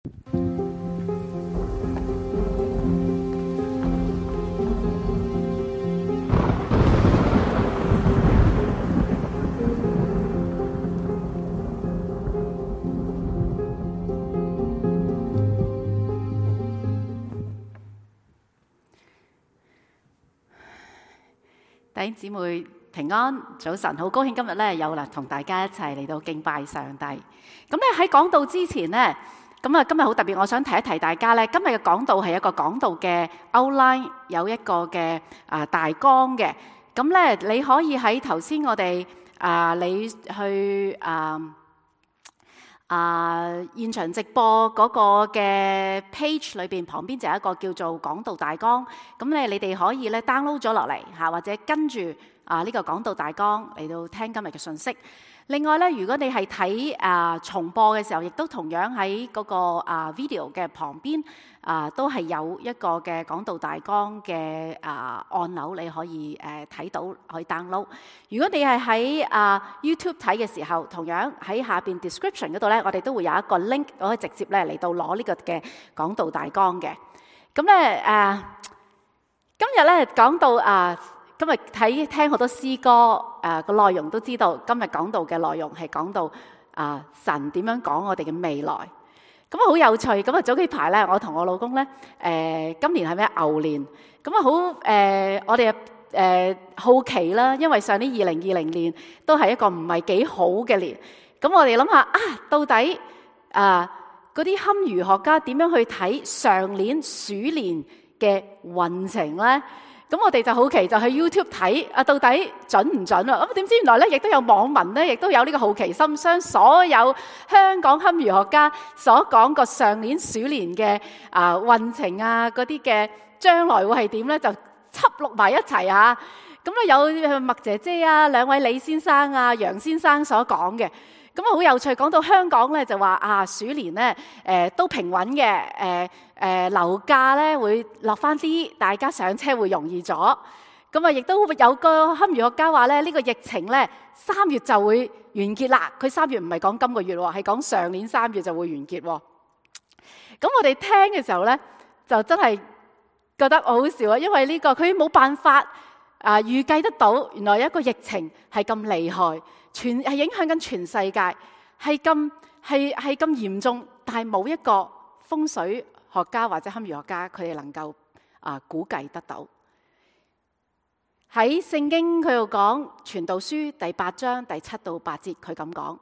弟兄姊妹平安，早晨，好高興今日咧有啦，同大家一齊嚟到敬拜上帝。咁咧喺講道之前咧，今日好特別，我想提一提大家咧，今日嘅講道係一個講道嘅 outline， 有一個嘅大綱嘅。咁咧你可以喺頭先我哋你去現場直播嗰個嘅 page 裏邊，旁邊就有一個叫做講道大綱。咁咧你哋可以咧 download 咗落嚟嚇，或者跟住呢個講道大綱嚟到聽今日嘅信息。另外咧，如果你係睇重播嘅時候，亦都同樣喺嗰個video 嘅旁邊都係有一個嘅講道大綱嘅按鈕，你可以睇到，可以 download。如果你係喺YouTube 睇嘅時候，同樣喺下邊 description 嗰度咧，我哋都會有一個 link，可以直接咧嚟到攞呢個嘅講道大綱嘅。咁咧今日咧講到今日聽好多詩歌，個內容都知道，今日講到嘅內容係講到神點樣講我哋嘅未來。咁好有趣。咁早幾排咧，我同我老公咧，今年係咩牛年？咁好我哋好奇啦，因為上年2020年都係一個唔係幾好嘅年。咁我哋諗下到底嗰啲堪輿學家點樣去睇上年鼠年嘅運程咧？咁我哋就好奇，就去 YouTube 睇到底準唔準啊？咁點知原來咧，亦都有網民咧，亦都有呢個好奇心，將所有香港堪輿學家所講過上年鼠年嘅運程嗰啲嘅將來會係點咧，就輯錄埋一齊啊！咁咧有麥姐姐兩位李先生楊先生所講嘅。咁好有趣，講到香港咧就話鼠年咧都平穩嘅，樓價咧會落翻啲，大家上車會容易咗。咁亦都有個堪輿學家話咧，呢個疫情咧3月就會完結啦。佢3月唔係講今個月喎，係講上年3月就會完結喎。咁我哋聽嘅時候咧，就真係覺得好笑啊，因為呢個佢冇辦法預計得到，原來有一個疫情係咁厲害，係影響緊全世界，係咁嚴重，但係冇一個風水學家或者堪輿學家佢哋能夠估計得到。喺聖經佢度講《傳道書》第8章第7到8節，佢咁講：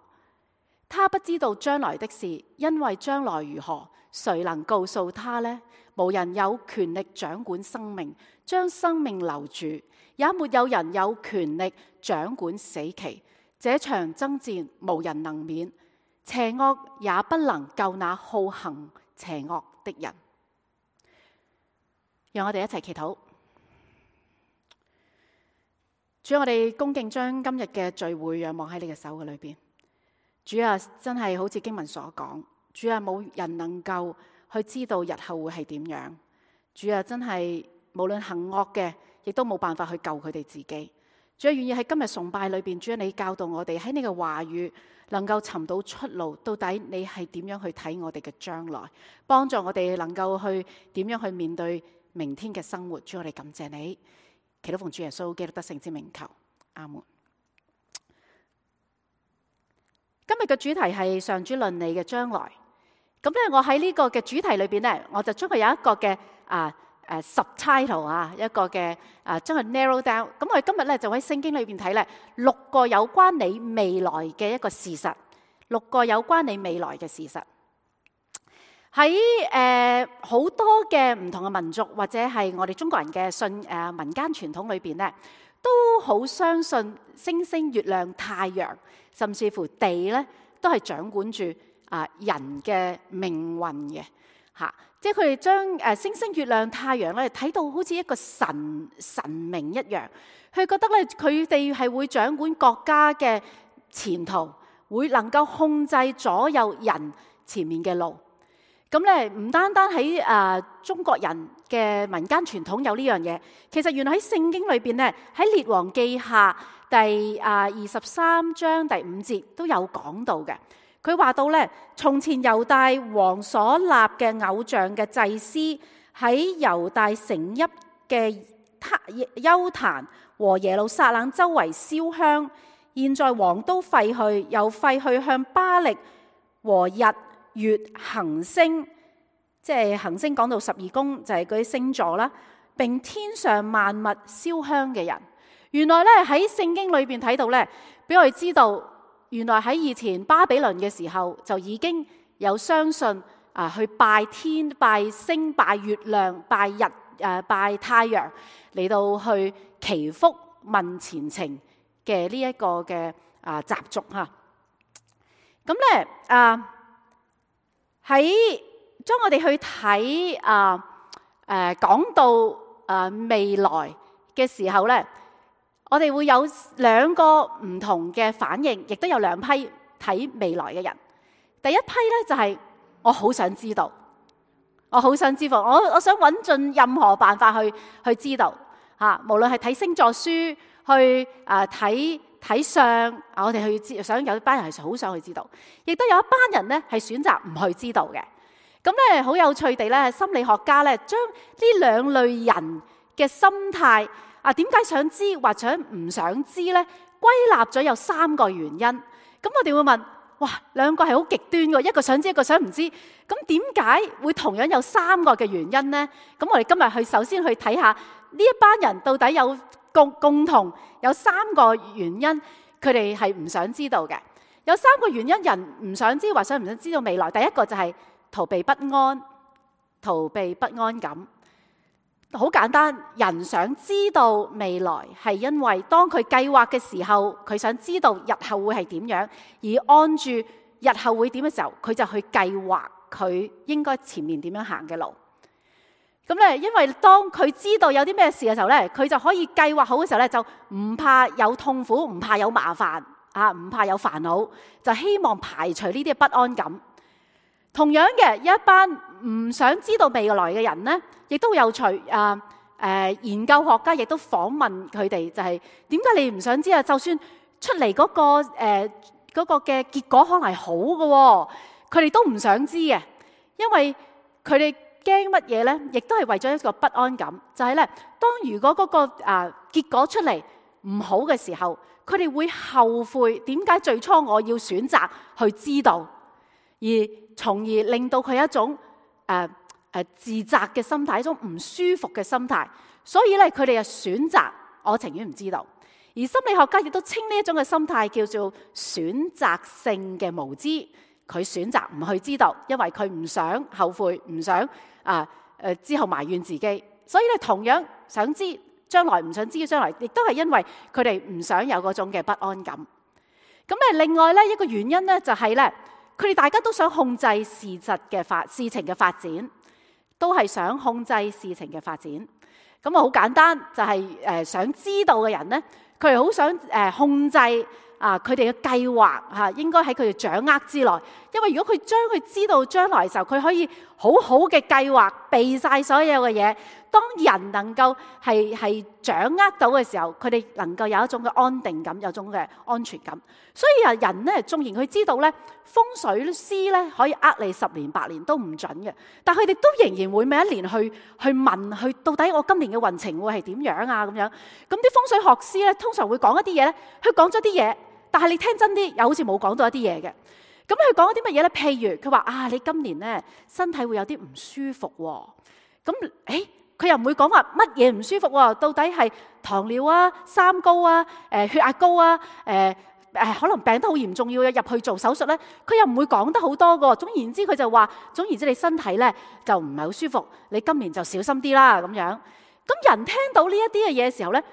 他不知道將來的事，因為將來如何，誰能告訴他呢？無人有權力掌管生命，將生命留住，也沒有人有權力掌管死期。這場爭戰無人能免，邪惡也不能救那好行邪惡的人。讓我哋一齊祈禱。主，我哋恭敬將今日嘅聚會仰望喺你嘅手嘅裏邊。主啊，真係好似經文所講，主啊，冇人能夠去知道日後會係點樣。主啊，真係無論行惡嘅，亦都冇辦法去救佢哋自己。主啊，願意喺今日崇拜裏邊，主啊，你教導我哋喺你嘅話語能夠尋到出路，到底你係點樣去睇我哋嘅將來，幫助我哋能夠去點樣去面對明天嘅生活。主，我哋感謝你，祈禱奉主耶穌基督得勝之名求，阿門。今日嘅主題係上主論你嘅將來。咁咧，我喺呢個嘅主題裏邊咧，我就將佢有一個嘅subtitle 一個嘅將佢 narrow down。咁我哋今日咧就喺聖經裏邊睇咧6個有關你未來嘅一個事實，6個有關你未來嘅事實。喺好多嘅唔同嘅民族或者係我哋中國人嘅民間傳統裏邊咧，都好相信星星、月亮、太陽，甚至乎地咧，都係掌管住人嘅命運嘅嚇。即係佢哋將星星、月亮、太陽咧睇到好似一個神明一樣，佢覺得咧佢哋係會掌管國家嘅前途，會能夠控制左右人前面嘅路。咁咧唔單單喺中國人嘅民間傳統有呢樣嘢，其實原來喺聖經裏邊咧，喺列王記下第23章第5節都有講到嘅。佢話到咧，從前猶大王所立嘅偶像嘅祭司喺猶大城邑嘅邱壇和耶路撒冷周圍燒香，現在王都廢去，又廢去向巴力和日月行星，即係行星講到12宮就係嗰啲星座啦，並天上萬物燒香嘅人。原來咧喺聖經裏邊睇到咧，俾我哋知道，原來喺以前巴比倫嘅時候就已經有相信去拜天、拜星、拜月亮、拜日、拜太陽，嚟到去祈福問前程嘅呢一個嘅習俗嚇。咁咧喺當我哋去睇講到未來嘅時候咧，我哋會有兩個唔同嘅反應，亦都有兩批睇未來嘅人。第一批咧就係我好想知道，我好想知道，我想揾盡任何辦法去知道嚇，無論係睇星座書，去睇相，我哋去想有一班人係好想去知道，亦都有一班人咧係選擇唔去知道嘅。咁咧好有趣地咧，心理學家咧將呢兩類人嘅心態點解想知或者唔想知咧，歸納咗有3個原因。咁我哋會問：哇，兩個係好極端嘅，一個想知，一個想唔知。咁點解會同樣有3個嘅原因呢？咁我哋今日首先去睇下呢一班人到底有共同有3個原因，佢哋係唔想知道嘅。有3個原因人唔想知或想唔想知道未來。第一個就係逃避不安，逃避不安感。好簡單，人想知道未來係因為當佢計劃嘅時候，佢想知道日後會係點樣，而按住日後會點嘅時候，佢就去計劃佢應該前面點樣行嘅路。咁咧，因為當佢知道有啲咩事嘅時候咧，佢就可以計劃好嘅時候咧，就唔怕有痛苦，唔怕有麻煩唔怕有煩惱，就希望排除呢啲不安感。同樣嘅，有一班唔想知道未來嘅人呢，亦都有趣。研究學家亦都訪問佢哋，就係點解你唔想知啊？就算出嚟嗰個嘅結果可能係好嘅，佢哋都唔想知嘅，因為佢哋驚乜嘢呢？亦都係為咗一個不安感，就係咧，當如果嗰個結果出嚟唔好嘅時候，佢哋會後悔點解最初我要選擇去知道，而從而令到佢一種自責嘅心態，一種唔舒服嘅心態。所以咧，佢哋就選擇我情願唔知道。而心理學家亦都稱呢一種嘅心態叫做選擇性嘅無知。佢選擇唔去知道，因為佢唔想後悔，唔想之後埋怨自己。所以咧，同樣想知將來唔想知嘅將來，亦都係因為佢哋唔想有嗰種嘅不安感。咁另外咧一個原因咧就係咧，佢哋大家都想控制事情嘅發展，都係想控制事情嘅發展。咁好簡單，就係想知道嘅人咧，佢哋好想控制佢哋嘅計劃應該喺佢哋掌握之內。因為如果佢將佢知道將來嘅時候，佢可以好好嘅計劃，避晒所有嘅嘢。當人能夠係掌握到嘅時候，佢哋能夠有一種嘅安定感，有一種嘅安全感。所以人咧，縱然佢知道咧，風水師咧可以你10年8年都唔準嘅，但佢哋都仍然會每一年去問到底我今年嘅運程會係點樣啊咁樣。咁啲風水學師咧通常會講一啲嘢咧，佢講咗啲嘢，但係你聽真啲又好似冇講到一啲嘢嘅。咁佢講啲乜嘢咧？譬如佢話你今年咧身體會有啲唔舒服喎。咁佢又唔會講話乜嘢唔舒服喎？到底係糖尿啊、三高啊、血壓高啊、可能病得好嚴重要入去做手術咧？佢又唔會講得好多個。總言之，佢就話總言之，你身體咧就唔係好舒服，你今年就小心啲啦咁樣。咁人聽到呢一啲嘅嘢嘅時候咧，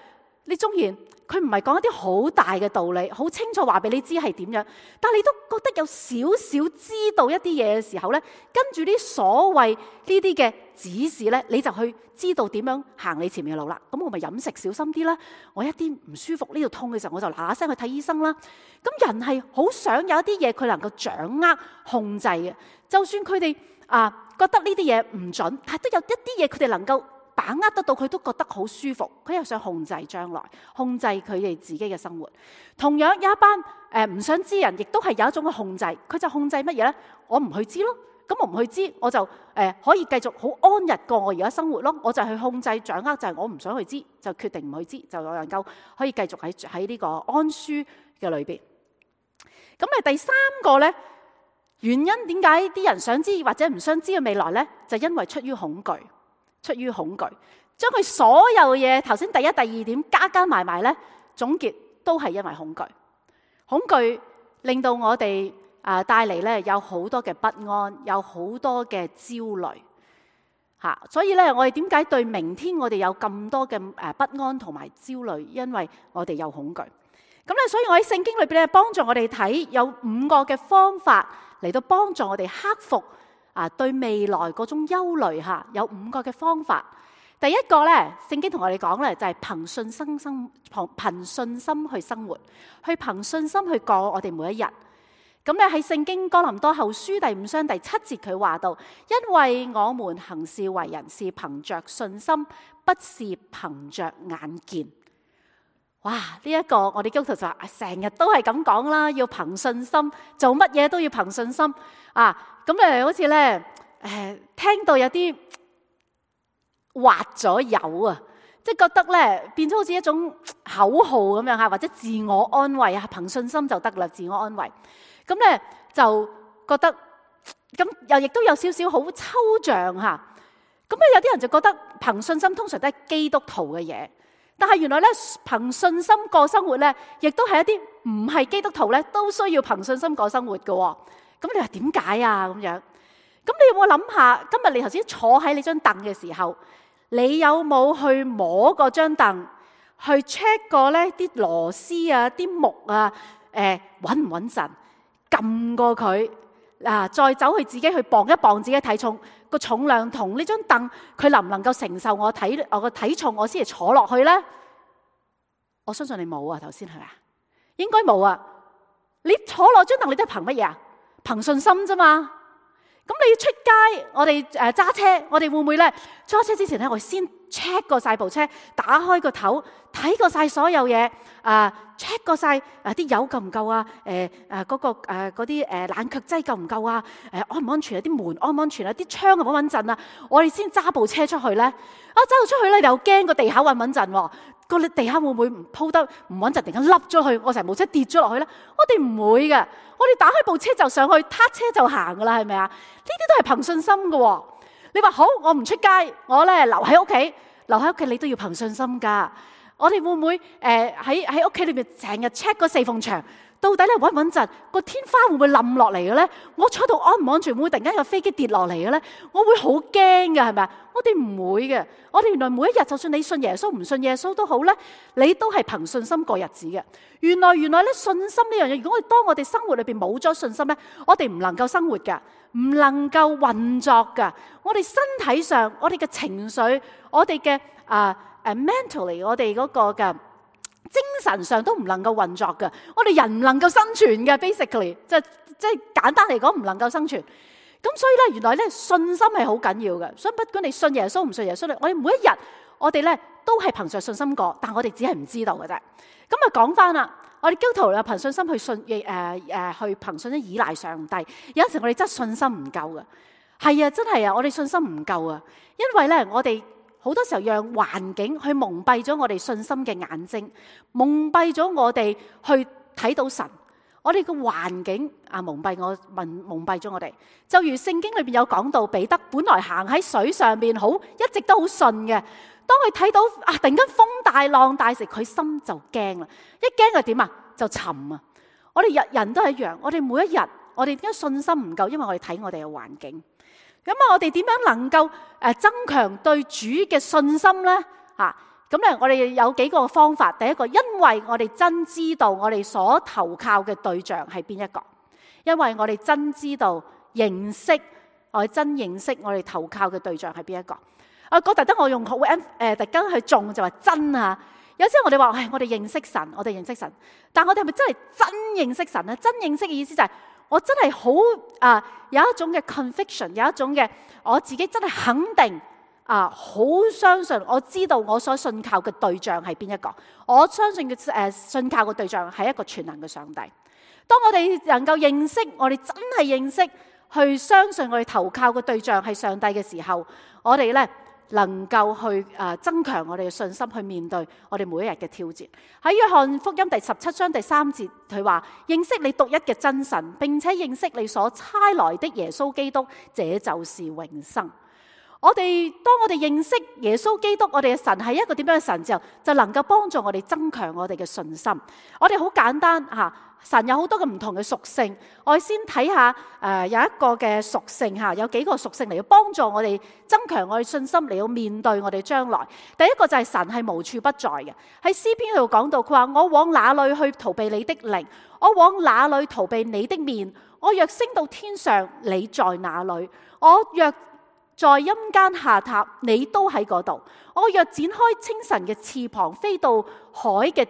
你縱然佢唔係講一啲好大嘅道理，好清楚話俾你知係點樣，但係你都覺得有少少知道一啲嘢嘅時候咧，跟住啲所謂呢啲嘅指示咧，你就去知道點樣行你前面嘅路啦。咁我咪飲食小心啲啦，我一啲唔舒服呢度痛嘅時候，我就嗱嗱聲去睇醫生啦。咁人係好想有一啲嘢佢能夠掌握控制嘅，就算佢哋覺得呢啲嘢唔準，但係都有一啲嘢佢哋能夠把握得到，佢都覺得好舒服，佢又想控制將來，控制佢哋自己嘅生活。同樣有一班唔想知人，亦都係有一種嘅控制，佢就控制乜嘢呢？我唔去知咯，咁我唔去知，我就可以繼續好安逸過我而家生活咯。我就去控制掌握，就係我唔想去知，就決定唔去知，就能夠可以繼續喺呢個安舒嘅裏邊。咁第三個呢，原因點解啲人想知或者唔想知嘅未來呢？就因為出於恐懼，將佢所有嘢頭先第一、第二點加埋呢，總結都係因為恐懼。恐懼令到我哋帶嚟呢有好多嘅不安，有好多嘅焦慮嚇。所以呢，我哋點解對明天我哋有咁多嘅不安同埋焦慮？因為我哋有恐懼。咁咧，所以我喺聖經裏邊咧，幫助我哋睇有5個嘅方法嚟到幫助我哋克服對未來嗰種憂慮嚇。有5個嘅方法。第一個咧，聖經同我哋講咧，就係憑信心去生活，去憑信心去過我哋每一日。咁咧喺聖經哥林多後書第5章第7節佢話到，因為我們行事為人是憑着信心，不是憑着眼見。哇！呢一個我哋基督徒就話成日都係咁講啦，要憑信心，做乜嘢都要憑信心咁好似咧聽到有啲滑咗油啊，即係覺得咧變咗好似一種口號咁樣嚇，或者自我安慰憑信心就得啦，自我安慰。咁咧就覺得咁又亦都有少少好抽象嚇。咁有啲人就覺得憑信心通常都係基督徒嘅嘢。但係原來咧，憑信心過生活咧，亦都係一啲唔係基督徒咧，都需要憑信心過生活嘅。咁你話點解啊？咁樣，咁你有冇諗下？今日你頭先坐喺你張凳嘅時候，你有冇去摸嗰張凳，去 check 過咧啲螺絲啊、啲木啊，穩唔穩陣？撳過佢再走去自己去磅一磅自己體重，個重量同呢張凳佢能唔能夠承受我個體重，我先係坐落去咧？我相信你冇啊，頭先係咪啊？應該冇啊！你坐落張凳，你都係憑乜嘢啊？憑信心啫嘛。咁你要出街，我哋揸車，我哋會唔會咧揸車之前咧，我先 check 過晒部車，打開個頭，睇過晒所有嘢，check 過晒啲油夠唔夠啊？嗰啲冷卻劑夠唔夠啊？安唔安全啊？啲門安唔安全啊？啲窗穩唔穩陣啊？我哋先揸部車出去咧。揸到出去咧，你又驚個地下穩唔穩陣喎？個地下會唔會鋪得唔穩陣，突然間凹咗去，我成部車跌咗落去咧？我哋唔會嘅，我哋打開部車就上去，撻車就行噶啦，係咪啊？呢啲都係憑信心嘅。你話好，我唔出街，我咧留喺屋企，你都要憑信心噶。我哋會唔會喺屋企裏面成日 check 個四縫牆，到底咧穩唔穩陣？個天花會唔會冧落嚟嘅咧？我坐到安唔安全？會唔會突然間有飛機跌落嚟嘅咧？我會好驚嘅，係咪啊？我哋唔會嘅。我哋原來每一日，就算你信耶穌唔信耶穌都好咧，你都係憑信心過日子嘅。原來咧信心呢樣嘢，如果當我哋生活裏邊冇咗信心咧，我哋唔能夠生活噶，唔能夠運作噶。我哋身體上，我哋嘅情緒，我哋嘅mentally， 我哋嗰個嘅精神上都唔能夠運作嘅。我哋人唔能夠生存嘅 ，basically， 即係簡單嚟講唔能夠生存。咁所以咧，原來咧信心係好緊要嘅。所以不管你信耶穌唔信耶穌，我哋每一日我哋咧都係憑着信心過，但我哋只係唔知道嘅啫。咁講翻啦，我哋基督徒啊憑信心去信去憑信心依賴上帝。有陣時我哋真係信心唔夠嘅，係啊，真係啊，我哋信心唔夠啊，因為咧我哋好多時候讓環境去蒙蔽咗我哋信心嘅眼睛，蒙蔽咗我哋去睇到神。我哋個環境蒙蔽咗我哋，就如聖經裏邊有講到，彼得本來行喺水上邊一直都好順嘅，當佢睇到突然間風大浪大時，佢心就驚啦，一驚就點啊？就沉啊！我哋人都係一樣，我哋每一日，我哋點解信心唔夠？因為我哋睇我哋嘅環境。咁我哋點樣能夠增強對主嘅信心呢？咁咧，我哋有幾個方法。第一個，因為我哋真知道我哋所投靠嘅對象係邊一個，因為我哋真知道我哋真認識我哋投靠嘅對象係邊一個。特登我用特登去重就話真啊。有時候我哋話我哋認識神，但我哋係咪真係真認識神咧？真認識嘅意思就係我真係好有一種嘅 conviction， 有一種嘅我自己真係肯定好相信，我知道我所信靠嘅對象係邊一個。我相信嘅信靠嘅對象係一個全能嘅上帝。當我哋能夠認識，我哋真係認識去相信我哋投靠嘅對象係上帝嘅時候，我哋呢能夠去增強我哋嘅信心，去面對我哋每一日嘅挑戰。喺約翰福音第17章第3節，佢話：認識你獨一嘅真神，並且認識你所差來的耶穌基督，這就是永生。當我哋認識耶穌基督，我哋嘅神係一個點樣嘅神之後，就能夠幫助我哋增強我哋嘅信心。我哋好簡單神有好多嘅唔同嘅屬性，我哋先睇下有一個嘅屬性有幾個屬性嚟到幫助我哋增強我哋信心，嚟到面對我哋將來。第一個就係神係無處不在嘅。喺詩篇度講到，佢話：我往哪裏去逃避你的靈？我往哪裏逃避你的面？我若升到天上，你在哪裏？我若在陰間下榻，你都喺嗰度。我若展開清晨嘅翅膀，飛到海嘅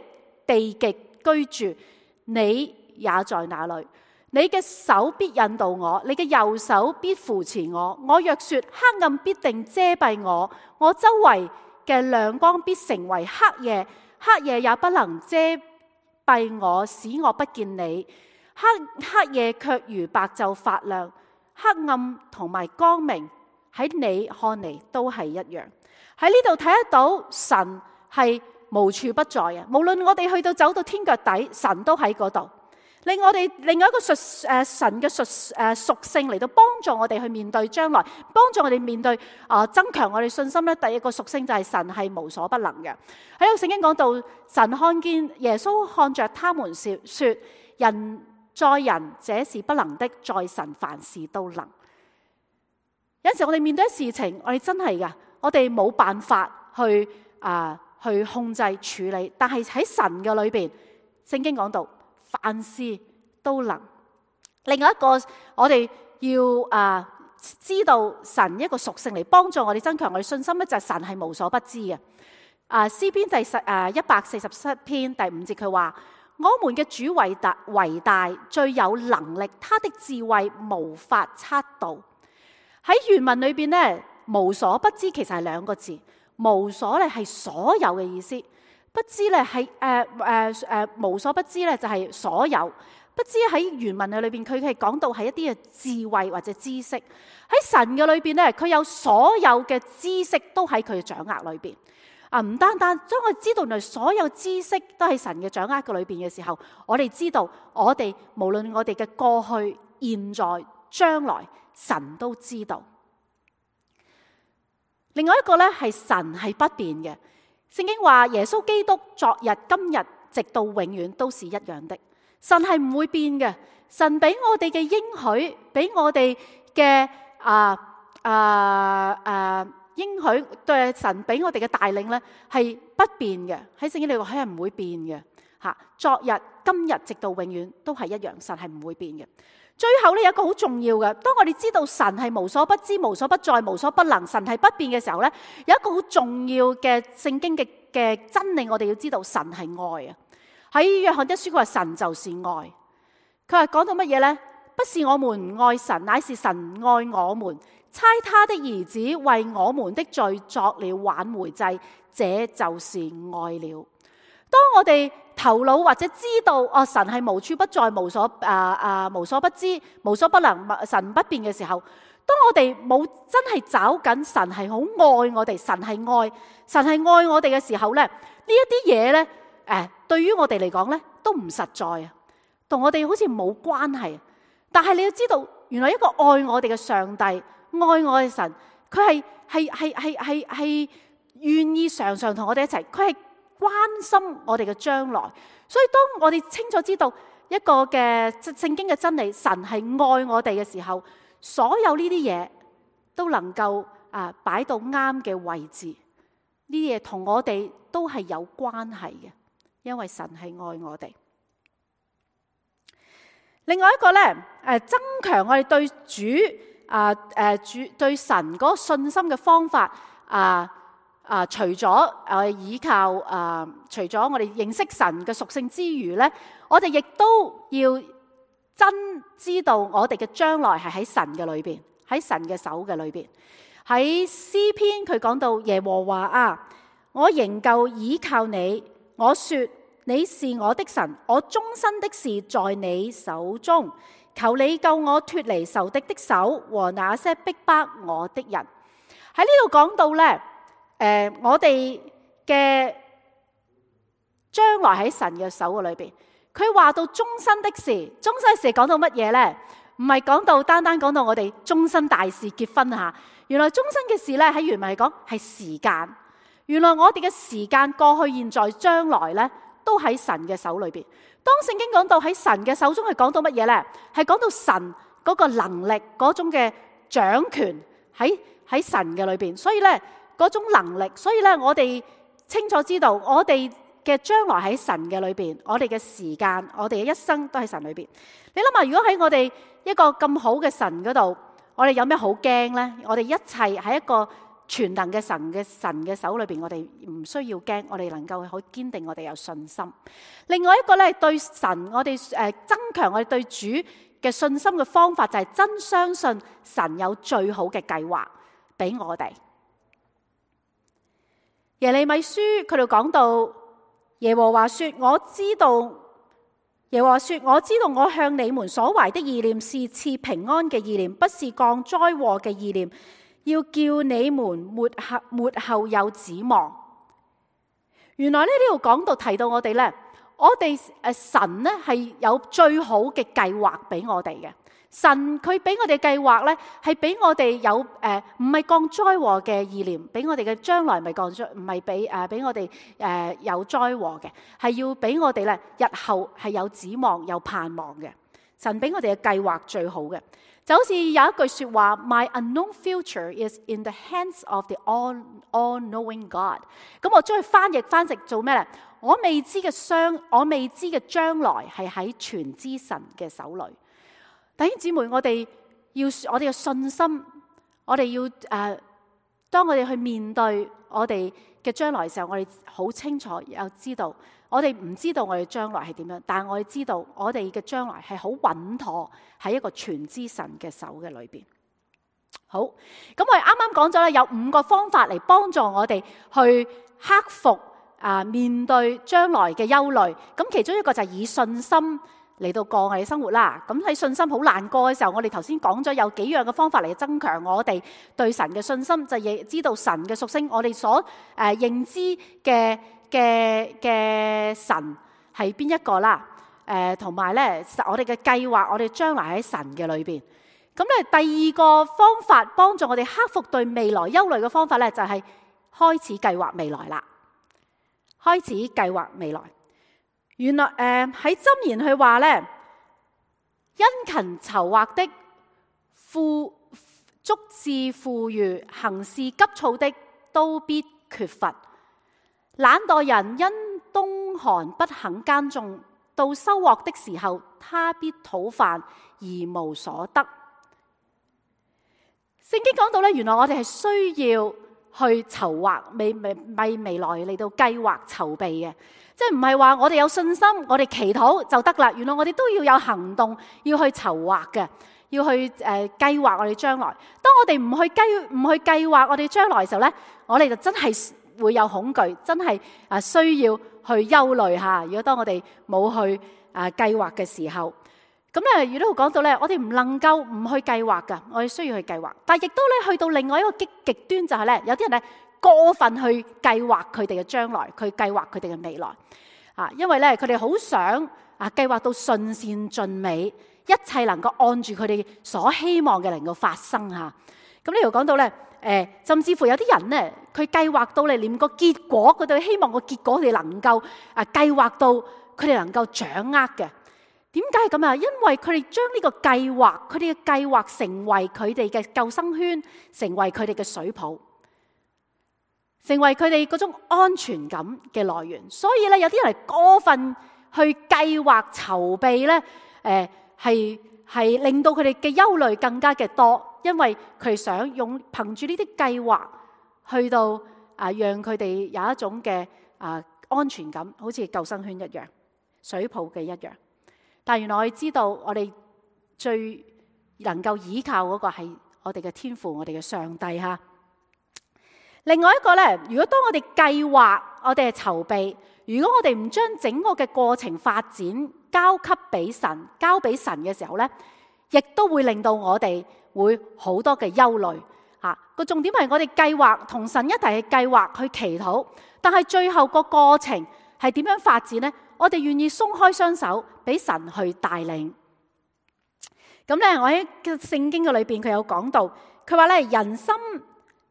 地極居住，你也在那裏。你嘅手必引導我，你嘅右手必扶持我。我若說黑暗必定遮蔽我，我周圍嘅亮光必成為黑夜，黑夜也不能遮蔽我，使我不見你。黑夜卻如白晝發亮，黑暗同埋光明喺你看嚟都係一樣。喺呢度睇得到神係無處不在嘅，無論我哋去到走到天腳底，神都喺嗰度。令我哋另外一個神嘅屬性嚟到幫助我哋去面對將來，幫助我哋面對增強我哋信心咧。第一個屬性就係神係無所不能嘅。喺個聖經講到，神看見耶穌看着他們說人在人這是不能的，在神凡事都能。有陣時我哋面對事情，我哋真係噶，我哋冇辦法去控制處理，但係喺神嘅裏邊，聖經講到凡事都能。另外一個我哋要知道神一個屬性嚟幫助我哋增強我哋信心咧，就係神係無所不知嘅。詩篇第147篇第5節佢話：我們嘅主為大，最有能力，他的智慧無法測度。喺原文裏邊咧，無所不知其實係兩個字。無所咧係所有嘅意思，不知咧係無所不知咧就係所有。不知喺原文嘅裏邊，佢係講到係一啲嘅智慧或者知識。喺神嘅裏邊咧，佢有所有嘅知識都喺佢嘅掌握裏邊。唔單單將我知道原來所有知識都喺神嘅掌握嘅裏邊嘅時候，我哋知道我哋無論我哋嘅過去、現在、將來，神都知道。另外一個咧係神係不變嘅。聖經話耶穌基督昨日、今日直到永遠都是一樣的。神係唔會變嘅。神俾我哋嘅應許，俾我哋嘅應許，對神俾我哋嘅帶領咧係不變嘅。喺聖經裏話係唔會變嘅。昨日、今日直到永遠都係一樣，神係唔會變嘅。最後咧有一個好重要嘅，當我哋知道神係無所不知、無所不在、無所不能，神係不變嘅時候咧，有一個好重要嘅聖經嘅真理，我哋要知道神係愛啊！喺約翰一書佢話神就是愛，佢話講到乜嘢咧？不是我們愛神，乃是神愛我們，差他的兒子為我們的罪作了挽回祭，這就是愛了。當我哋頭腦或者知道神係無處不在、無所不知、無所不能、神不變嘅時候，當我哋冇真係找緊神係好愛我哋，神係愛我哋嘅時候咧，呢一啲嘢咧，對於我哋嚟講咧都唔實在啊，同我哋好似冇關係。但係你要知道，原來一個愛我哋嘅上帝、愛我嘅神，佢係願意常常同我哋一齊，佢係關心我哋嘅將來。所以當我哋清楚知道一個嘅聖經嘅真理，神係愛我哋嘅時候，所有呢啲嘢都能夠擺到啱嘅位置。呢啲嘢同我哋都係有關係嘅，因為神係愛我哋。另外一個咧，增強我哋對主對神嗰個信心嘅方法除咗依靠除咗我哋認識神嘅屬性之餘咧，我哋亦都要真知道我哋嘅將來係喺神嘅裏邊，喺神嘅手嘅裏邊。喺詩篇佢講到耶和華啊，我仍舊倚靠你，我說你是我的神，我終身的事在你手中，求你救我脫離仇敵的手和那些逼迫我的人。喺呢度講到呢，我哋嘅將來喺神嘅手嘅裏邊。佢話到終身的事，終身的事講到乜嘢呢？唔係講到單單講到我哋終身大事結婚吓。原來終身嘅事咧，喺原文嚟講係時間。原來我哋嘅時間過去、現在、將來咧，都喺神嘅手裏邊。當聖經講到喺神嘅手中，係講到乜嘢咧？係講到神嗰個能力嗰種嘅掌權喺神嘅裏邊。所以咧嗰種能力，所以咧我哋清楚知道我哋嘅將來喺神嘅裏邊，我哋嘅時間，我哋嘅一生都喺神裏邊。你諗下，如果喺我哋一個咁好嘅神嗰度，我哋有咩好驚呢？我哋一切喺一個全能嘅神嘅手裏邊，我哋唔需要驚，我哋能夠好堅定，我哋有信心。另外一個咧，對神我哋增強我哋對主嘅信心嘅方法，就係真相信神有最好嘅計劃俾我哋。耶利米書佢哋講到，耶和華說：我知道，耶和華說，我知道我向你們所懷的意念是賜平安嘅意念，不是降災禍嘅意念，要叫你們末後有指望。原來呢度講到提到我哋呢，我哋神呢係有最好嘅計劃俾我哋嘅。神佢俾我哋計劃呢，係俾我哋有唔係降災禍嘅意念，俾我哋嘅將來唔係降災，唔係俾我哋有災禍嘅，係要俾我哋呢日後係有指望有盼望嘅。神俾我哋嘅計劃最好嘅，就好似有一句說話 ：My unknown future is in the hands of the all-knowing God。咁我將佢翻譯做咩呢？我未知嘅將來係喺全知神嘅手裏。弟兄姊妹，我哋嘅信心，我哋要當我哋去面對我哋嘅將來嘅時候，我哋好清楚又知道，我哋唔知道我哋將來係點樣，但係我哋知道我哋嘅將來係好穩妥喺一個全知神嘅手嘅裏邊。好，咁我哋啱啱講咗咧，有5個方法嚟幫助我哋去克服面對將來嘅憂慮。咁其中一個就係以信心嚟到過我哋生活啦。咁喺信心好難過嘅時候，我哋頭先講咗有幾樣嘅方法嚟增強我哋對神嘅信心，就係知道神嘅屬性，我哋所認知嘅神係邊一個啦。同埋咧，我哋嘅計劃，我哋將來喺神嘅裏邊。咁咧，第二個方法幫助我哋克服對未來憂慮嘅方法咧，就係開始計劃未來啦。開始計劃未來。原來喺箴言佢話咧，殷勤籌劃的足致富裕，行事急躁的都必缺乏。懶惰人因冬寒不肯耕種，到收穫的時候，他必討飯而無所得。聖經講到咧，原來我哋係需要去籌劃為未來嚟到計劃籌備嘅。即係唔係話我哋有信心，我哋祈禱就得啦。原來我哋都要有行動，要去籌劃嘅，要去計劃我哋將來。當我哋唔去計劃我哋將來嘅時候咧，我哋就真係會有恐懼，真係需要去憂慮下。如果當我哋冇去計劃嘅時候，咁咧亦都講到咧，我哋唔能夠唔去計劃噶，我哋需要去計劃。但係亦都咧去到另外一個極端，就係咧有啲人咧過分去計劃佢哋嘅將來，佢計劃佢哋嘅未來因為咧佢哋好想計劃到順善盡美，一切能夠按住佢哋所希望嘅能夠發生吓。咁呢度講到咧，甚至乎有啲人咧，佢計劃到你連個結果，佢哋希望個結果佢哋能夠計劃到佢哋能夠掌握嘅。點解咁啊？因為佢哋將呢個計劃，佢哋嘅計劃成為佢哋嘅救生圈，成為佢哋嘅水泡，成為佢哋嗰種安全感嘅來源。所以咧，有啲人過分去計劃籌備咧，係令到佢哋嘅憂慮更加嘅多，因為佢哋想憑住呢啲計劃去到讓佢哋有一種嘅安全感，好似救生圈一樣，水泡嘅一樣。但原來我哋知道，我哋最能夠依靠嗰個係我哋嘅天父，我哋嘅上帝哈。另外一個呢，如果當我哋計劃，我哋係籌備，如果我哋唔將整個嘅過程發展交俾神嘅時候呢，亦都會令到我哋會好多嘅憂慮。個重點係我哋計劃同神一齊去計劃去祈禱，但係最後個過程係點樣發展呢？我哋願意鬆開雙手俾神去帶領。咁咧，我喺聖經嘅裏邊佢有講到，佢話咧，人心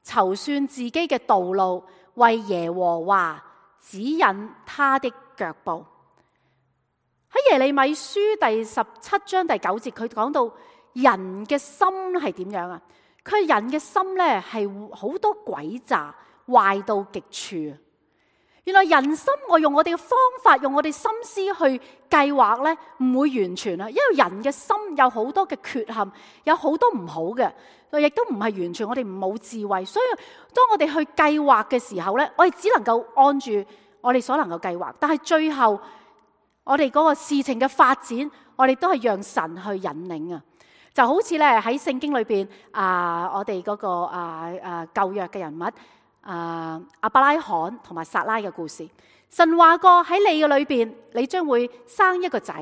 籌算自己嘅道路，為耶和華指引他的腳步。喺耶利米書第17章第9節，佢講到人嘅心係點樣啊？佢人嘅心咧係好多詭詐，壞到極處。原來人心，我用我哋嘅方法，用我哋心思去計劃咧，唔會完全啊，因為人嘅心有好多嘅缺陷，有好多唔好嘅，亦都唔係完全我哋冇智慧。所以當我哋去計劃嘅時候咧，我哋只能夠按住我哋所能夠計劃，但係最後我哋嗰個事情嘅發展，我哋都係讓神去引領啊。就好似咧喺聖經裏邊我哋嗰個舊約嘅人物亞伯拉罕同埋撒拉嘅故事，神話過喺你嘅裏邊，你將會生一個仔，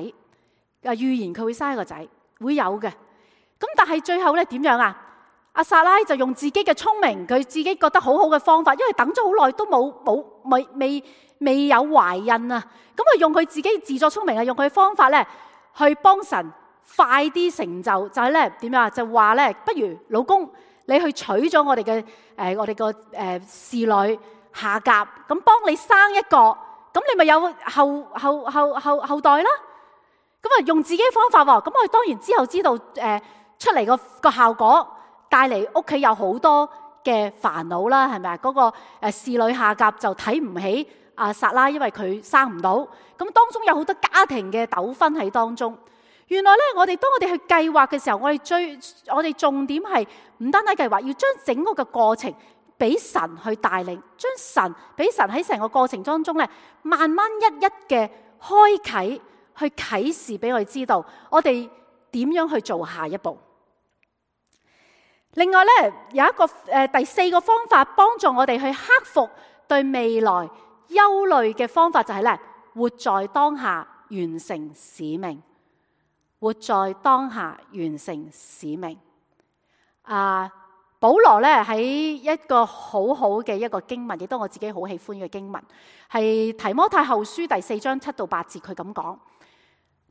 預言佢會生一個仔，會有嘅。咁但係最後咧點樣啊？阿撒拉就用自己嘅聰明，佢自己覺得好好嘅方法，因為等咗好耐都未有懷孕啊，咁啊用佢自己自作聰明啊，用佢嘅方法咧去幫神快啲成就，就係咧點樣啊？就話咧，不如老公你去娶咗我哋個侍女夏甲，咁幫你生一個，咁你咪有後代啦。咁啊用自己嘅方法喎，咁我哋當然之後知道出嚟個效果帶嚟屋企有好多嘅煩惱啦，係咪啊？嗰個侍女夏甲就睇唔起撒拉，因為佢生唔到，咁當中有好多家庭嘅糾紛喺當中。原來咧，當我哋去計劃嘅時候，我哋重點係唔單單計劃，要將整個嘅過程俾神去帶領，俾神喺成個過程當中咧，慢慢一一嘅開啟，去啟示俾我哋知道，我哋點樣去做下一步。另外咧，有一個第4個方法幫助我哋去克服對未來憂慮嘅方法，就係咧，活在當下，完成使命。活在當下，完成使命。保羅咧喺一個好好嘅一個經文，亦都我自己好喜歡嘅經文，係提摩太後書第4章7到8節，佢咁講：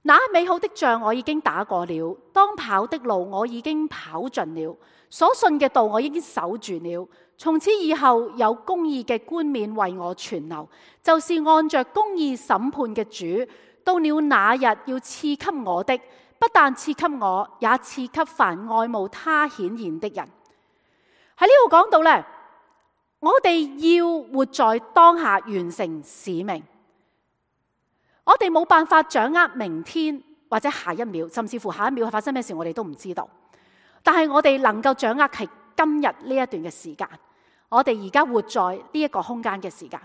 那美好的仗我已經打過了，當跑的路我已經跑盡了，所信嘅道我已經守住了。從此以後有公義嘅冠冕為我存留，就是按着公義審判嘅主，到了那日要賜給我的，不但賜給我，也賜給凡愛慕他顯現的人。喺呢度講到咧，我哋要活在當下，完成使命。我哋冇辦法掌握明天或者下一秒，甚至乎下一秒發生咩事，我哋都唔知道。但係我哋能夠掌握係今日呢一段嘅時間，我哋而家活在呢一個空間嘅時間。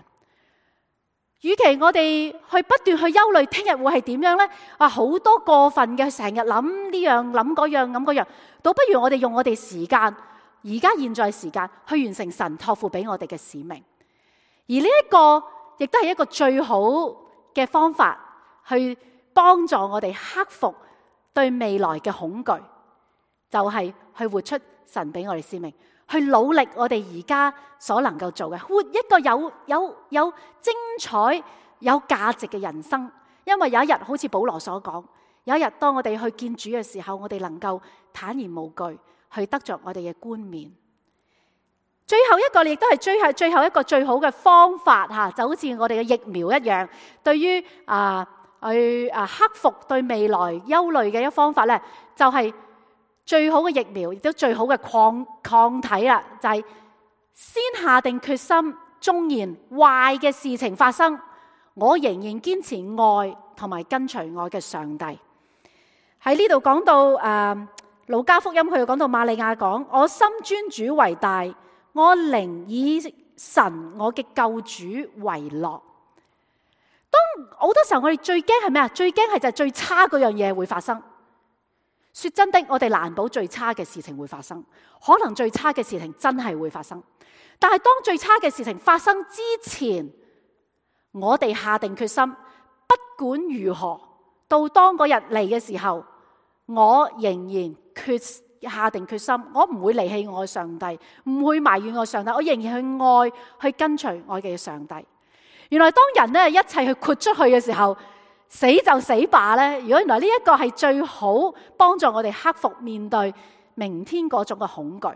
與其我哋去不斷去憂慮聽日會係點樣呢？好多過分嘅，成日諗呢樣諗嗰樣諗嗰樣，倒不如我哋用我哋時間，而家現在時間去完成神託付俾我哋嘅使命。而呢一個亦都係一個最好嘅方法，去幫助我哋克服對未來嘅恐懼，就係去活出神俾我哋使命。去努力我哋而家所能夠做嘅，活一個有精彩、有價值嘅人生。因為有一日，好似保羅所講，有一日當我哋去見主嘅時候，我哋能夠坦然無懼去得着我哋嘅冠冕。最後一個亦都係最後一個最好嘅方法吓，就好似我哋嘅疫苗一樣，對於去克服對未來憂慮嘅一方法咧，就係最好嘅疫苗，亦都最好嘅抗體啦，就係先下定決心，縱然壞嘅事情發生，我仍然堅持愛同埋跟隨愛嘅上帝。喺呢度講到路加福音，佢又講到瑪利亞講：我心尊主為大，我靈以神我嘅救主為樂。當好多時候我哋最驚係咩啊？最驚係就係最差嗰樣嘢會發生。說真的，我哋難保最差嘅事情會發生，可能最差嘅事情真係會發生。但係當最差嘅事情發生之前，我哋下定決心，不管如何，到當嗰日嚟嘅時候，我仍然下定決心，我唔會離棄我嘅上帝，唔會埋怨我上帝，我仍然去愛，去跟隨我嘅上帝。原來當人咧一切去豁出去嘅時候，死就死罷咧。如果原來呢一個係最好幫助我哋克服面對明天嗰種嘅恐懼，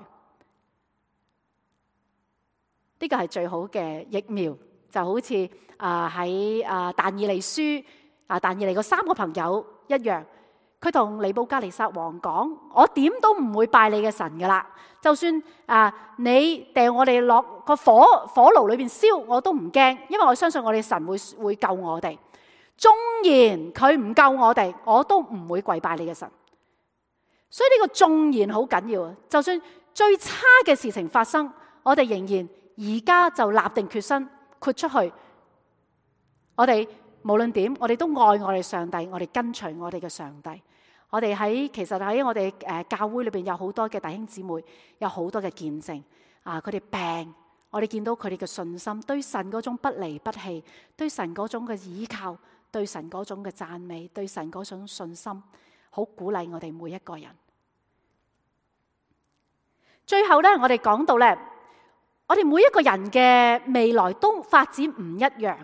呢個係最好嘅疫苗。就好似喺但以理書但以理嗰3個朋友一樣，佢同尼布甲尼撒王講：我點都唔會拜你嘅神噶啦，就算你掟我哋落個火爐裏邊燒，我都唔驚，因為我相信我哋神會救我哋。縱然佢唔救我哋，我都唔會跪拜你嘅神。所以呢個縱然好緊要啊！就算最差嘅事情發生，我哋仍然而家就立定決心豁出去。我哋無論點，我哋都愛我哋上帝，我哋跟隨我哋嘅上帝。我哋其實喺我哋教會裏邊有好多嘅弟兄姊妹，有好多嘅見證佢哋病，我哋見到佢哋嘅信心，對神嗰種不離不棄，對神嗰種嘅依靠，對神嗰種嘅讚美，對神嗰種信心，好鼓勵我哋每一個人。最後咧，我哋講到咧，我哋每一個人嘅未來都發展唔一樣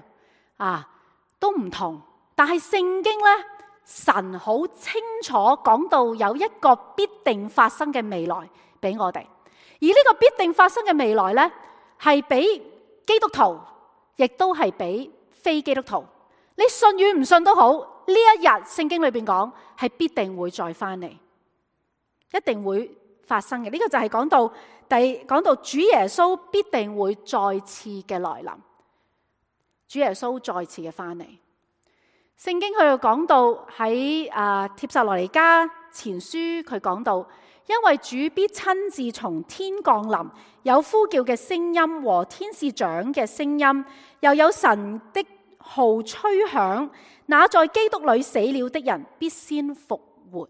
都唔同。但係聖經咧，神好清楚講到有一個必定發生嘅未來俾我哋，而呢個必定發生嘅未來咧，係俾基督徒，亦都係俾非基督徒。你信與唔信都好，呢一日聖經裏邊講係必定會再翻嚟，一定會發生嘅。呢個就係講到主耶穌必定會再次嘅來臨，主耶穌再次嘅翻嚟。聖經佢又講到喺帖撒羅尼迦前書，佢講到，因為主必親自從天降臨，有呼叫嘅聲音和天使長嘅聲音，又有神的號吹響，那在基督裏死了的人必先復活。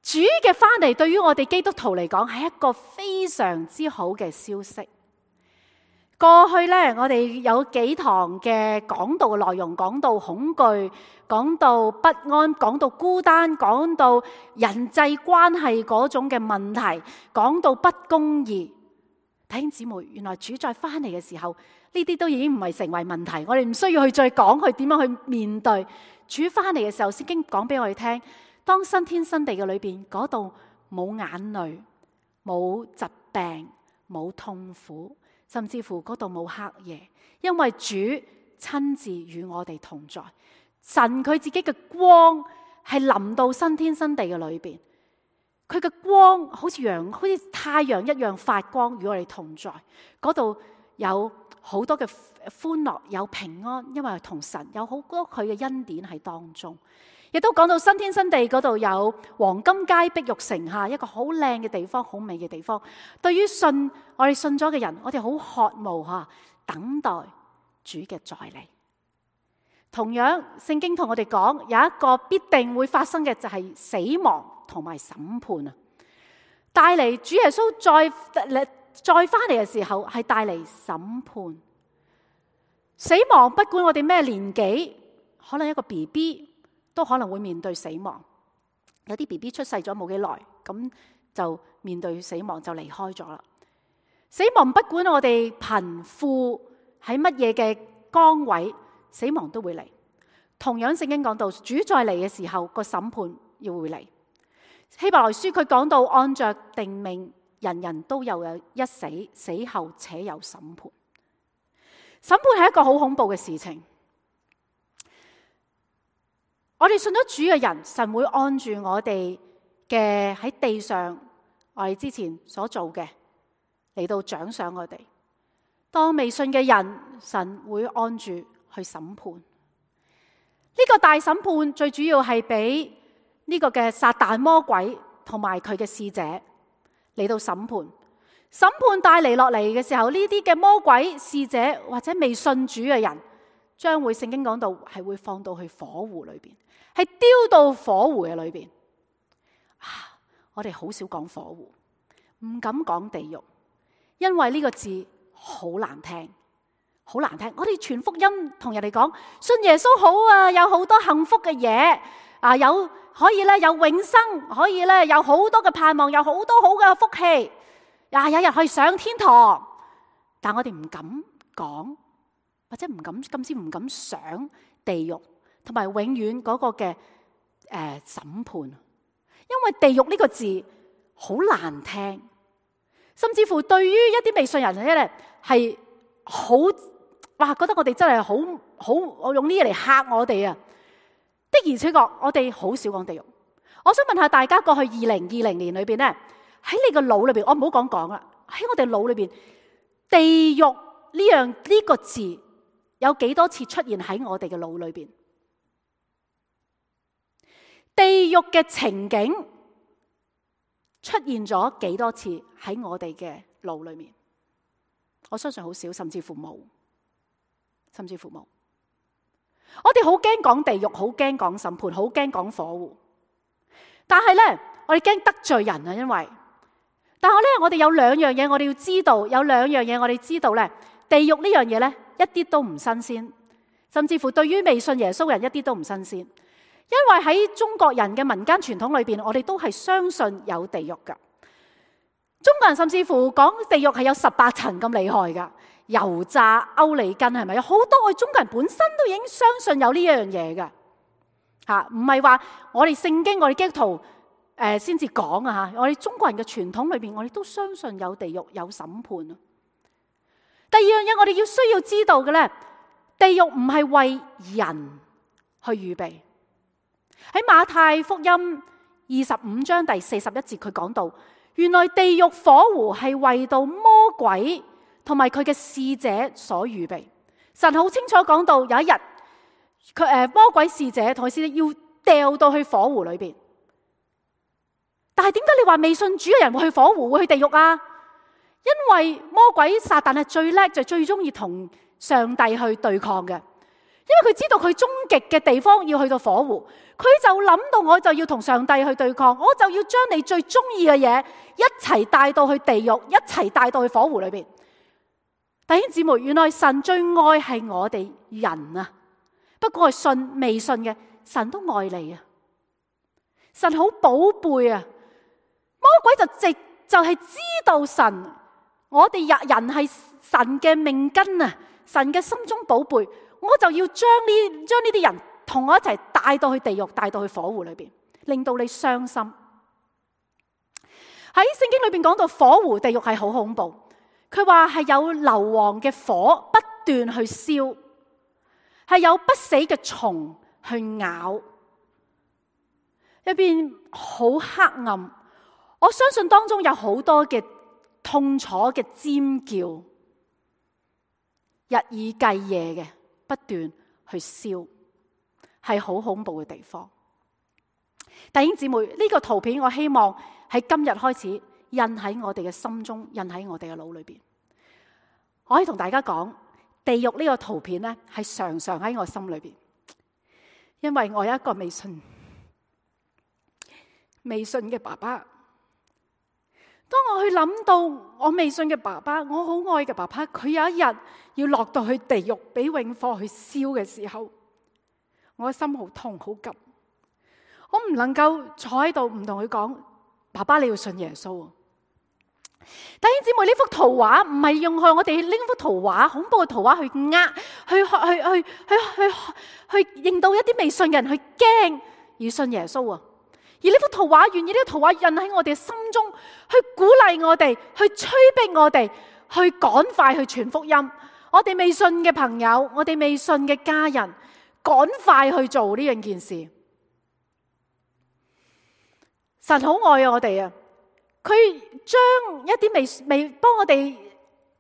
主嘅翻嚟對於我哋基督徒嚟講係一個非常之好嘅消息。過去咧，我哋有幾堂嘅講道嘅內容，講到恐懼，講到不安，講到孤單，講到人際關係嗰種嘅問題，講到不公義。弟兄姊妹，原來主再翻嚟嘅時候，呢啲都已經唔係成為問題，我哋唔需要去再講去點樣去面對。主翻嚟嘅時候，聖經講俾我哋聽，當新天新地嘅裏邊，嗰度冇眼淚，冇疾病，冇痛苦，甚至乎嗰度冇黑夜，因為主親自與我哋同在。神佢自己嘅光係臨到新天新地嘅裏邊，佢嘅光好似太陽一樣發光，與我哋同在。嗰度有好多嘅歡樂，有平安，因為同神有好多佢嘅恩典喺當中。亦都講到新天新地嗰度有黃金街碧玉城下，一個好靚嘅地方，好美嘅地方。對於我哋信咗嘅人，我哋好渴慕等待主嘅再嚟。同樣，聖經同我哋講有一個必定會發生嘅，就係死亡同埋審判啊！帶嚟主耶穌再翻嚟嘅時候，係帶嚟審判。死亡不管我哋咩年紀，可能一個 BB 都可能會面對死亡。有啲 BB 出世咗冇幾耐，咁就面對死亡，就離開咗啦。死亡不管我哋貧富喺乜嘢嘅崗位，死亡都會嚟。同樣聖經講到主再嚟嘅時候，個審判要會嚟。希伯來書佢講到按着定命，人人都有一死，死後且有審判。審判係一個好恐怖嘅事情。我哋信咗主嘅人，神會按住我哋嘅喺地上我哋之前所做嘅嚟到獎賞我哋。當未信嘅人，神會按住去審判。呢個大審判最主要係俾呢個嘅撒旦魔鬼同埋佢嘅使者嚟到審判。審判帶嚟落嚟嘅時候，呢啲嘅魔鬼使者或者未信主嘅人將會聖經講到係會放到去火湖裏邊，係丟到火湖嘅裏邊。我哋好少講火湖，唔敢講地獄，因為呢個字好難聽，好難聽。我哋傳福音同人哋講，信耶穌好啊，有好多幸福嘅嘢啊，有可以咧有永生，可以咧有好多嘅盼望，有好多好嘅福氣，有人可以上天堂。但我哋唔敢講，或者唔敢，甚至唔敢想地獄同埋永遠嗰個嘅審判，因為地獄呢個字好難聽，甚至乎對於一啲未信人咧係好覺得我哋真係好，我用呢嘢嚟嚇我哋啊！的而且確，我哋好少講地獄。我想問下大家，過去2020年裏邊咧，喺你個腦裏邊，我唔好講啦，喺我哋腦裏邊，地獄呢個字有幾多次出現喺我哋嘅腦裏邊？地獄嘅情景出現咗幾多次喺我哋嘅腦裏面？我相信好少，甚至乎冇。我哋好驚講地獄，好驚講審判，好驚講火湖。但係咧，我哋驚得罪人啊，但係咧，我哋有兩樣嘢我哋要知道，咧，地獄呢樣嘢咧一啲都唔新鮮，甚至乎對於未信耶穌嘅人一啲都唔新鮮，因為喺中國人嘅民間傳統裏邊，我哋都係相信有地獄噶。中國人甚至乎講地獄係有18層咁厲害噶，油炸歐里根係咪？有好多我哋中國人本身都已經相信有呢一樣嘢噶吓，唔係話我哋聖經我哋基督徒先至講啊吓，我哋中國人嘅傳統裏邊，我哋都相信有地獄有審判啊。第二樣嘢我哋需要知道嘅咧，地獄唔係為人去預備。喺馬太福音25章第41節，佢講到，原來地獄火湖係為到魔鬼同埋佢嘅使者所預備。神好清楚講到，有一日魔鬼使者同佢使者要掉到去火湖裏邊。但係點解你話未信主嘅人會去火湖，會去地獄啊？因為魔鬼撒旦係最叻，就最中意同上帝去對抗嘅。因為佢知道佢終極嘅地方要去到火湖，佢就諗到我就要同上帝去對抗，我就要將你最中意嘅嘢一齊帶到去地獄，一齊帶到去火湖裏邊。弟兄姊妹，原來神最愛係我哋人啊，不過係信未信嘅，神都愛你啊，神好寶貝啊。魔鬼就係知道神，我哋人係神嘅命根啊，神嘅心中寶貝，我就要將呢啲人同我一齊帶到去地獄，帶到去火湖裏邊，令到你傷心。喺聖經裏邊講到火湖地獄係好恐怖，佢話係有硫磺嘅火不斷去燒，係有不死嘅蟲去咬，入邊好黑暗。我相信當中有好多嘅痛楚嘅尖叫，日以繼夜嘅不斷去燒，係好恐怖嘅地方。弟兄姊妹，呢個圖片我希望喺今日開始印喺我哋嘅心中，印喺我哋嘅腦裏邊。我可以同大家講，地獄呢個圖片咧係常常喺我心裏邊，因為我有一個未信嘅爸爸。當我去諗到我未信嘅爸爸，我好愛嘅爸爸，佢有一日要落到去地獄俾永火去燒嘅時候，我嘅心好痛好急。我唔能夠坐喺度唔同佢講，爸爸你要信耶穌。弟兄姊妹，呢幅圖畫唔係用我哋呢幅圖畫恐怖嘅圖畫去令到一啲未信嘅人去驚而信耶穌啊！而呢幅圖畫，願意呢個圖畫印喺我哋嘅心中，去鼓勵我哋，去催逼我哋，去趕快去傳福音。我哋未信嘅朋友，我哋未信嘅家人，趕快去做呢樣件事。神好愛我哋啊！佢將一啲未幫我哋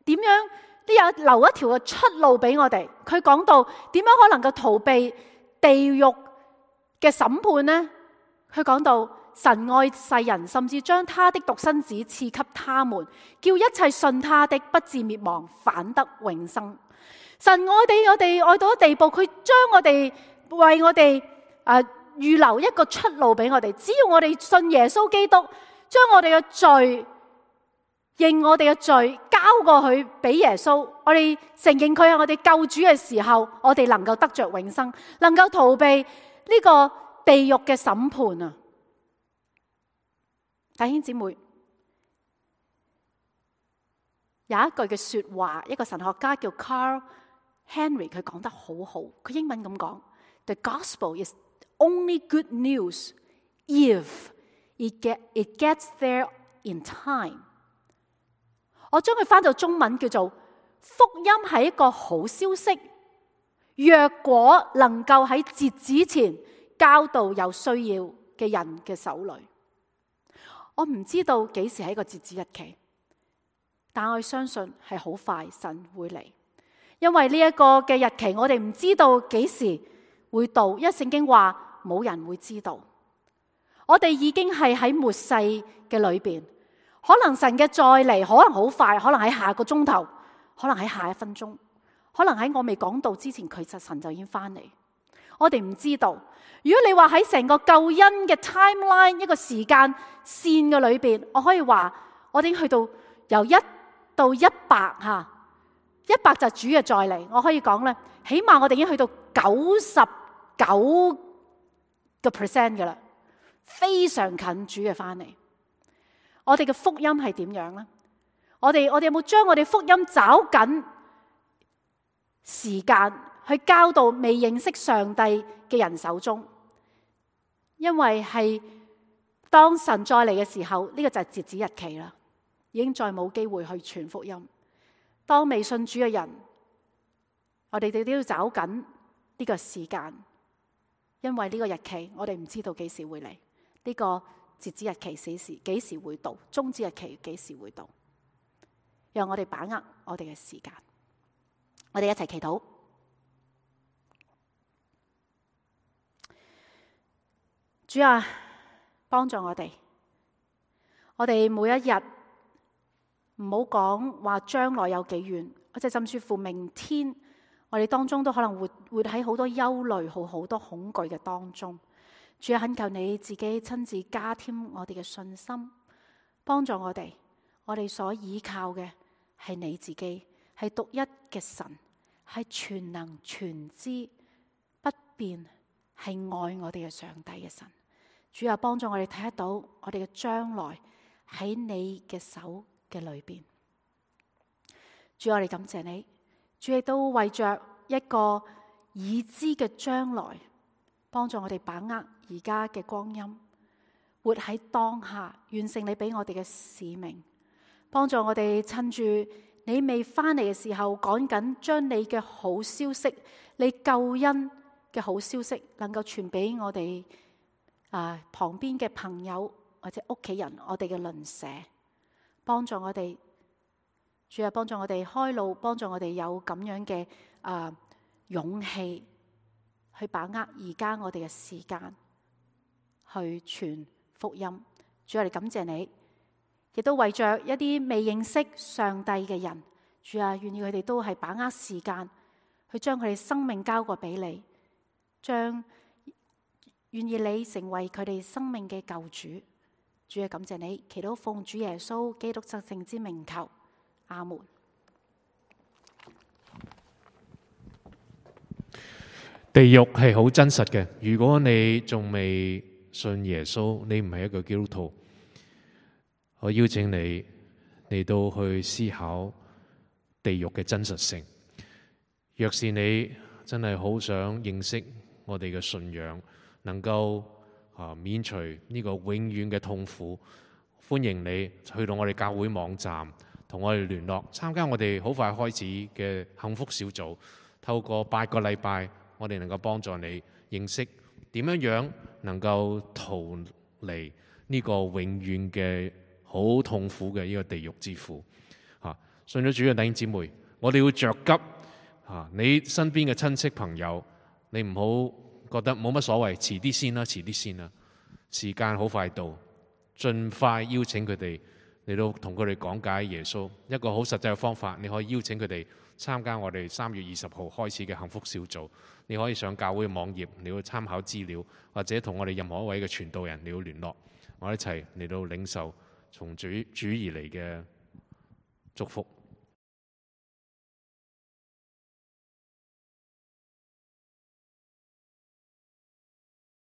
點樣留一條嘅出路俾我哋。佢講到點樣可能夠逃避地獄嘅審判呢？佢講到神愛世人，甚至將他的獨生子賜給他們，叫一切信他的不至滅亡，反得永生。神愛我哋愛到一地步，佢將我哋為我哋預留一個出路俾我哋。只要我哋信耶穌基督，將我哋嘅罪認我哋嘅罪交過去俾耶穌，我哋承認佢係我哋救主嘅時候，我哋能夠得着永生，能夠逃避呢個地獄嘅審判啊！弟兄姊妹，有一句嘅說話，一個神學家叫 Carl Henry， 佢講得好好。佢英文咁講 ：The gospel is only good news if it gets there in time。我將佢翻到中文叫做福音係一個好消息，若果能夠喺截止前交到有需要嘅人嘅手裏。我唔知道幾時係一個截止日期，但我相信係好快神會嚟，因為呢一個嘅日期我哋唔知道幾時會到，因為聖經話冇人會知道。我哋已經係喺末世嘅裏邊。可能神嘅再嚟可能好快，可能喺下個鐘頭，可能喺下一分鐘，可能喺我未講到之前，其實神就已經翻嚟。我哋唔知道。如果你話喺成個救恩嘅 timeline 一個時間線嘅裏邊，我可以話我已經去到由1到100吓，100就係主嘅再嚟。我可以講咧，起碼我哋已經去到99% 噶啦，非常近主嘅翻嚟。我哋嘅福音係點樣呢？我哋有冇將我哋福音找緊時間去交到未認識上帝嘅人手中？因為係當神再嚟嘅時候，呢個就係截止日期啦，已經再冇機會去傳福音。當未信主嘅人，我哋都要找緊呢個時間，因為呢個日期我哋唔知道幾時會嚟。呢個截止日期幾時會到？終止日期幾時會到？讓我哋把握我哋嘅時間。我哋一齊祈禱。主啊，幫助我哋。我哋每一日唔好講話將來有幾遠，或者甚至乎明天，我哋當中都可能活喺好多憂慮、好多恐懼嘅當中。主啊，懇求你自己親自加添我哋嘅信心，幫助我哋。我哋所依靠嘅係你自己，係獨一嘅神，係全能全知不變，係愛我哋嘅上帝嘅神。主啊，幫助我哋睇得到我哋嘅將來喺你嘅手嘅裏邊。主，我哋感謝你。主亦都為着一個已知嘅將來，幫助我哋把握而家嘅光陰，活喺當下，完成你俾我哋嘅使命。幫助我哋趁住你未翻嚟嘅時候，趕緊將你嘅好消息，你救恩嘅好消息，能夠傳俾我哋旁邊嘅朋友或者屋企人，我哋嘅鄰舍。幫助我哋，主啊，幫助我哋開路，幫助我哋有咁樣嘅勇氣去把握而家我哋嘅時間去傳福音。主啊，我哋感謝你，亦都為着一啲未認識上帝嘅人，主啊，願意佢哋都係把握時間去將佢哋生命交過俾你，願意你成為佢哋生命嘅救主。主啊，感謝你，祈禱奉主耶穌基督得勝之名求，阿門。地獄係好真實嘅。如果你仲未信耶穌，你唔係一個基督徒，我邀請你嚟到去思考地獄嘅真實性。若是你真係好想認識我哋嘅信仰，能夠免除呢個永遠嘅痛苦，歡迎你去到我哋教會網站同我哋聯絡，參加我哋好快開始嘅幸福小組。透過8個禮拜，我哋能夠幫助你認識點樣能夠逃離呢個永遠嘅好痛苦嘅呢個地獄之苦。信咗主嘅弟兄姊妹，我哋要着急。你身邊嘅親戚朋友，你唔好覺得冇乜所謂，遲啲先啦，遲啲先啦。時間好快到，盡快邀請佢哋嚟到同佢哋講解耶穌。一個好實際嘅方法，你可以邀請佢哋參加我哋3月20號開始嘅幸福小組。你可以上教會網頁，你要參考資料，或者同我哋任何一位嘅傳道人你要聯絡，我哋一齊嚟到領受從主而嚟嘅祝福。